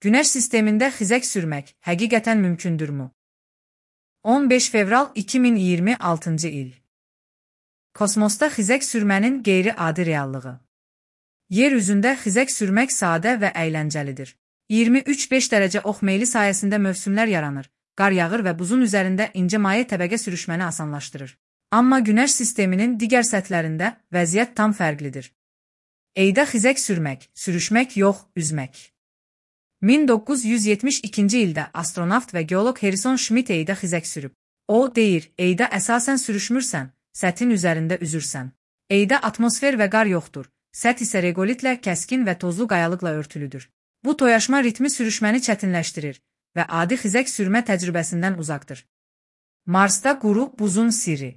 Günəş sistemində xizək sürmək həqiqətən mümkündürmü? 15 fevral 2026-cı il. Kosmosda xizək sürmənin qeyri-adi reallığı. Yer üzündə xizək sürmək sadə və əyləncəlidir. 23-5 dərəcə ox meyli sayəsində mövsümlər yaranır, qar yağır və buzun üzərində incə maye təbəqə sürüşməni asanlaşdırır. Amma Günəş sisteminin digər səthlərində vəziyyət tam fərqlidir. Ayda xizək sürmək, sürüşmək yox, üzmək. 1972-ci ildə astronavt və geoloq Harrison Schmitt Ayda xizək sürüb. O deyir, Ayda əsasən sürüşmürsən, səthin üzərində üzürsən. Ayda atmosfer və qar yoxdur, səth isə regolitlə, kəskin və tozlu qayalıqla örtülüdür. Bu toyaşma ritmi sürüşməni çətinləşdirir və adi xizək sürmə təcrübəsindən uzaqdır. Marsda quru buzun sirri.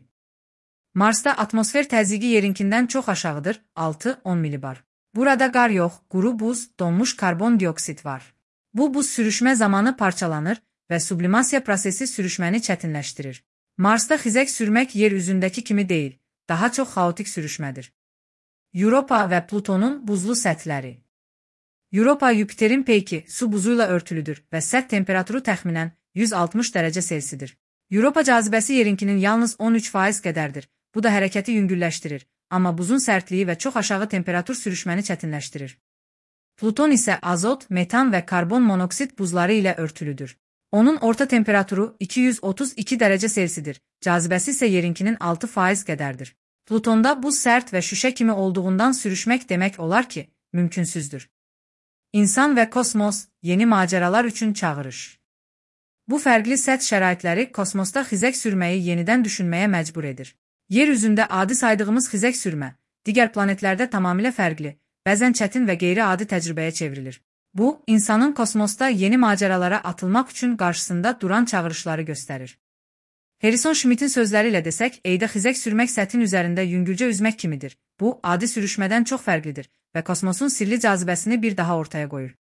Marsda atmosfer təzyiqi yerinkindən çox aşağıdır, 6-10 milibar. Burada qar yox, quru buz, donmuş karbon dioksid var. Bu buz sürüşmə zamanı parçalanır və sublimasiya prosesi sürüşməni çətinləşdirir. Marsda xizək sürmək yer üzündəki kimi deyil, daha çox xaotik sürüşmədir. Europa və Plutonun buzlu səthləri. Europa Yupiterin peyki su buzuyla örtülüdür və səth temperaturu təxminən 160 dərəcə Selsidir. Europa cazibəsi yerinkinin yalnız 13% qədərdir. Bu da hərəkəti yüngülləşdirir, amma buzun sərtliyi və çox aşağı temperatur sürüşməni çətinləşdirir. Pluton isə azot, metan və karbon monoksid buzları ilə örtülüdür. Onun orta temperaturu 232 dərəcə Selsidir, cazibəsi isə yerinkinin 6% qədərdir. Plutonda buz sərt və şüşə kimi olduğundan sürüşmək demək olar ki, mümkünsüzdür. İnsan və kosmos, yeni macəralar üçün çağırış. Bu fərqli səth şəraitləri kosmosda xizək sürməyi yenidən düşünməyə məcbur edir. Yer üzündə adi saydığımız xizək sürmə, digər planetlərdə tamamilə fərqli, bəzən çətin və qeyri-adi təcrübəyə çevrilir. Bu, insanın kosmosda yeni macəralara atılmaq üçün qarşısında duran çağırışları göstərir. Harrison Schmitt'in sözləri ilə desək, Ayda xizək sürmək səthin üzərində yüngülcə üzmək kimidir. Bu, adi sürüşmədən çox fərqlidir və kosmosun sirli cazibəsini bir daha ortaya qoyur.